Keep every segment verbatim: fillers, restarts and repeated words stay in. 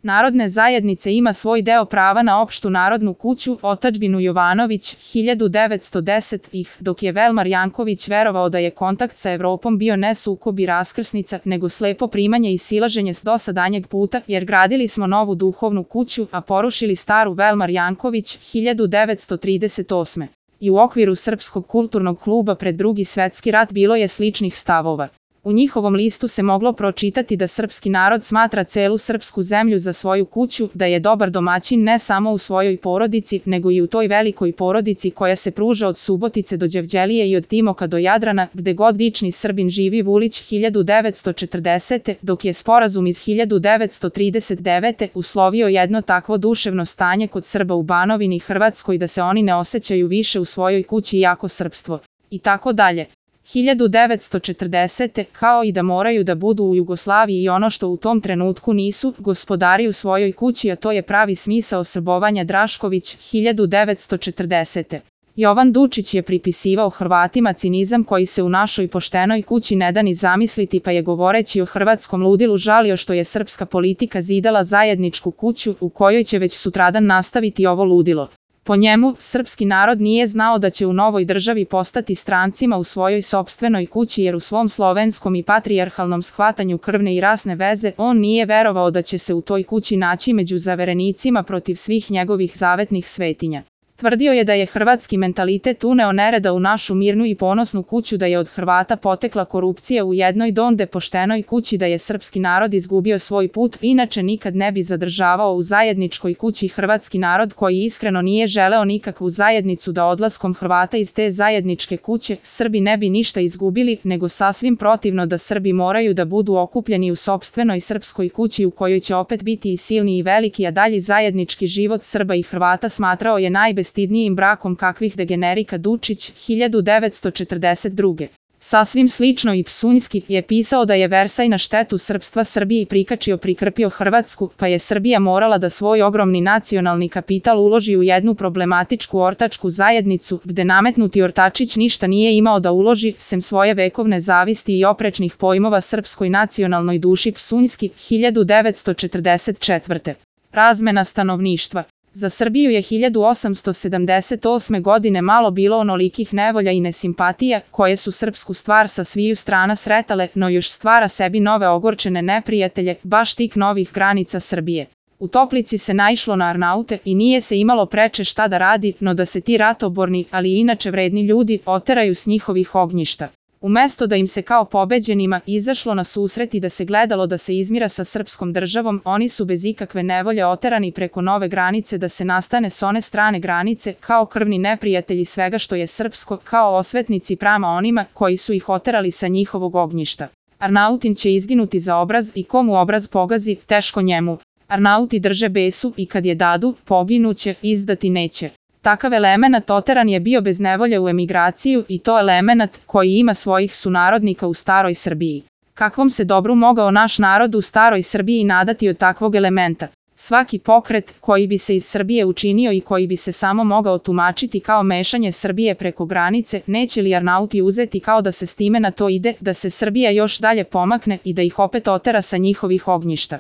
narodne zajednice ima svoj deo prava na opštu narodnu kuću, otadžbinu Jovanović, hiljadu devetsto desetih, dok je Velmar Janković verovao da je kontakt sa Evropom bio ne sukob i raskrsnica, nego slepo primanje i silaženje s dosadanjeg puta, jer gradili smo novu duhovnu kuću, a porušili staru. Velmar Janković, hiljadu devetsto trideset osme. I u okviru Srpskog kulturnog kluba pred Drugi svetski rat bilo je sličnih stavova. U njihovom listu se moglo pročitati da srpski narod smatra celu srpsku zemlju za svoju kuću, da je dobar domaćin ne samo u svojoj porodici, nego i u toj velikoj porodici koja se pruža od Subotice do Đevđelije i od Timoka do Jadrana, gde god lični Srbin živi. Vulić, hiljadu devetsto četrdesete. Dok je sporazum iz hiljadu devetsto trideset devete. uslovio jedno takvo duševno stanje kod Srba u Banovini Hrvatskoj da se oni ne osjećaju više u svojoj kući jako srpstvo. I tako dalje. hiljadu devetsto četrdesete. kao i da moraju da budu u Jugoslaviji i ono što u tom trenutku nisu, gospodari u svojoj kući, a to je pravi smisao srbovanja. Drašković, hiljadu devetsto četrdesete. Jovan Dučić je pripisivao Hrvatima cinizam koji se u našoj poštenoj kući ne da ni zamisliti, pa je govoreći o hrvatskom ludilu žalio što je srpska politika zidala zajedničku kuću u kojoj će već sutradan nastaviti ovo ludilo. Po njemu, srpski narod nije znao da će u novoj državi postati strancima u svojoj sopstvenoj kući, jer u svom slovenskom i patrijarhalnom shvatanju krvne i rasne veze on nije verovao da će se u toj kući naći među zaverenicima protiv svih njegovih zavetnih svetinja. Tvrdio je da je hrvatski mentalitet uneo nereda u našu mirnu i ponosnu kuću, da je od Hrvata potekla korupcija u jednoj donde poštenoj kući, da je srpski narod izgubio svoj put, inače nikad ne bi zadržavao u zajedničkoj kući hrvatski narod koji iskreno nije želeo nikakvu zajednicu, da odlaskom Hrvata iz te zajedničke kuće Srbi ne bi ništa izgubili, nego sasvim protivno, da Srbi moraju da budu okupljeni u sopstvenoj srpskoj kući u kojoj će opet biti i silni i veliki, a dalji zajednički život Srba i Hrvata smatrao je najbestidnijim brakom kakvih degenerika. Dučić, hiljadu devetsto četrdeset druge. Sasvim slično i Psunjski je pisao da je Versaj na štetu srpstva Srbiji prikačio prikrpio Hrvatsku, pa je Srbija morala da svoj ogromni nacionalni kapital uloži u jednu problematičku ortačku zajednicu, gde nametnuti ortačić ništa nije imao da uloži, sem svoje vekovne zavisti i oprečnih pojmova srpskoj nacionalnoj duši. Psunjski, hiljadu devetsto četrdeset četvrte. Razmena stanovništva. Za Srbiju je hiljadu osamsto sedamdeset osme. godine malo bilo onolikih nevolja i nesimpatija, koje su srpsku stvar sa sviju strana sretale, no još stvara sebi nove ogorčene neprijatelje, baš tik novih granica Srbije. U Toplici se naišlo na Arnaute i nije se imalo preče šta da radi, no da se ti ratoborni, ali i inače vredni ljudi, oteraju s njihovih ognjišta. Umesto da im se kao pobeđenima izašlo na susret i da se gledalo da se izmira sa srpskom državom, oni su bez ikakve nevolje oterani preko nove granice da se nastane s one strane granice, kao krvni neprijatelji svega što je srpsko, kao osvetnici prama onima koji su ih oterali sa njihovog ognjišta. Arnautin će izginuti za obraz i komu obraz pogazi, teško njemu. Arnauti drže besu i kad je dadu, poginuće, izdati neće. Takav elemenat oteran je bio bez nevolje u emigraciju i to elemenat koji ima svojih sunarodnika u staroj Srbiji. Kakvom se dobru mogao naš narod u staroj Srbiji nadati od takvog elementa? Svaki pokret koji bi se iz Srbije učinio i koji bi se samo mogao tumačiti kao mešanje Srbije preko granice, neće li Arnauti uzeti kao da se s time na to ide, da se Srbija još dalje pomakne i da ih opet otera sa njihovih ognjišta?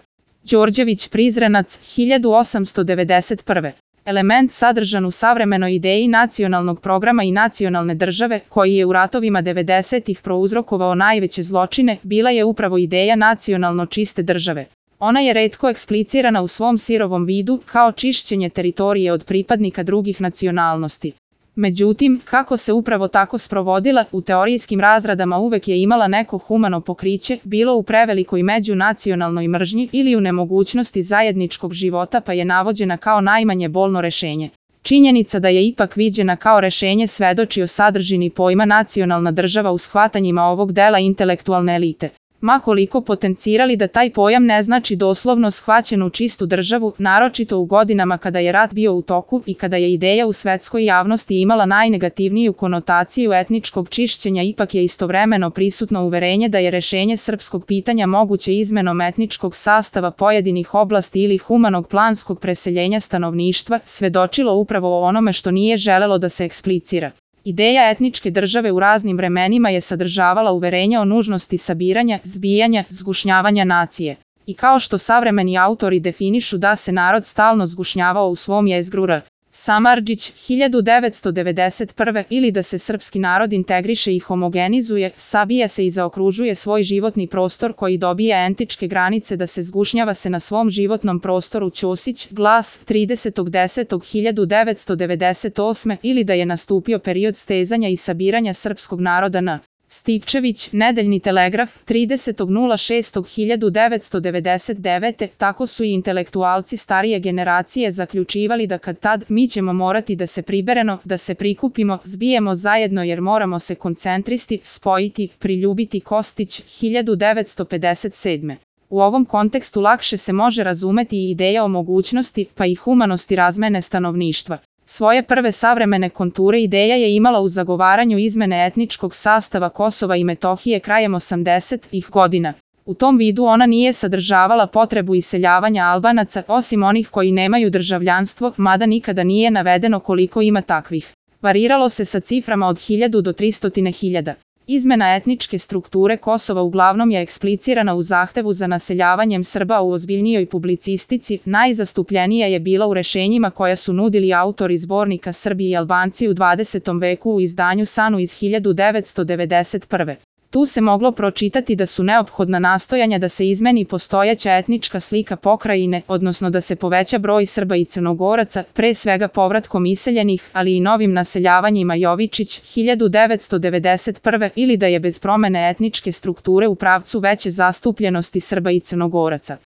Đorđević Prizrenac, hiljadu osamsto devedeset prve. Element sadržan u savremenoj ideji nacionalnog programa i nacionalne države, koji je u ratovima devedesetih prouzrokovao najveće zločine, bila je upravo ideja nacionalno čiste države. Ona je retko eksplicirana u svom sirovom vidu, kao čišćenje teritorije od pripadnika drugih nacionalnosti. Međutim, kako se upravo tako sprovodila, u teorijskim razradama uvek je imala neko humano pokriće, bilo u prevelikoj međunacionalnoj mržnji ili u nemogućnosti zajedničkog života, pa je navođena kao najmanje bolno rešenje. Činjenica da je ipak viđena kao rešenje svedoči o sadržini pojma nacionalna država u shvatanjima ovog dela intelektualne elite. Ma koliko potencirali da taj pojam ne znači doslovno shvaćenu čistu državu, naročito u godinama kada je rat bio u toku i kada je ideja u svetskoj javnosti imala najnegativniju konotaciju etničkog čišćenja, ipak je istovremeno prisutno uverenje da je rešenje srpskog pitanja moguće izmenom etničkog sastava pojedinih oblasti ili humanog planskog preseljenja stanovništva, svedočilo upravo o onome što nije želelo da se eksplicira. Ideja etničke države u raznim vremenima je sadržavala uverenja o nužnosti sabiranja, zbijanja, zgušnjavanja nacije. I kao što savremeni autori definišu da se narod stalno zgušnjavao u svom jezgru R. Samardžić, hiljadu devetsto devedeset prve ili da se srpski narod integriše i homogenizuje, sabija se i zaokružuje svoj životni prostor koji dobija entičke granice da se zgušnjava se na svom životnom prostoru Ćosić, Glas, tridesetog desetog hiljadu devetsto devedeset osme ili da je nastupio period stezanja i sabiranja srpskog naroda na Stipčević, Nedeljni telegraf, tridesetog šestog hiljadu devetsto devedeset devete Tako su i intelektualci starije generacije zaključivali da kad tad mi ćemo morati da se pribereno, da se prikupimo, zbijemo zajedno jer moramo se koncentristi, spojiti, priljubiti Kostić, hiljadu devetsto pedeset sedme U ovom kontekstu lakše se može razumeti i ideja o mogućnosti, pa i humanosti razmene stanovništva. Svoje prve savremene konture ideja je imala u zagovaranju izmene etničkog sastava Kosova i Metohije krajem osamdesetih godina. U tom vidu ona nije sadržavala potrebu iseljavanja Albanaca, osim onih koji nemaju državljanstvo, mada nikada nije navedeno koliko ima takvih. Variralo se sa ciframa od hiljadu do tristotine hiljada. Izmena etničke strukture Kosova uglavnom je eksplicirana u zahtevu za naseljavanjem Srba u ozbiljnijoj publicistici, najzastupljenija je bila u rešenjima koja su nudili autori zbornika Srbi i Albanci u dvadesetom veku u izdanju Sanu iz hiljadu devetsto devedeset prve Tu se moglo pročitati da su neophodna nastojanja da se izmeni postojeća etnička slika pokrajine, odnosno da se poveća broj Srba i Crnogoraca, pre svega povratkom iseljenih, ali i novim naseljavanjima Jovičić, hiljadu devetsto devedeset prve ili da je bez promene etničke strukture u pravcu veće zastupljenosti Srba i Crnogoraca.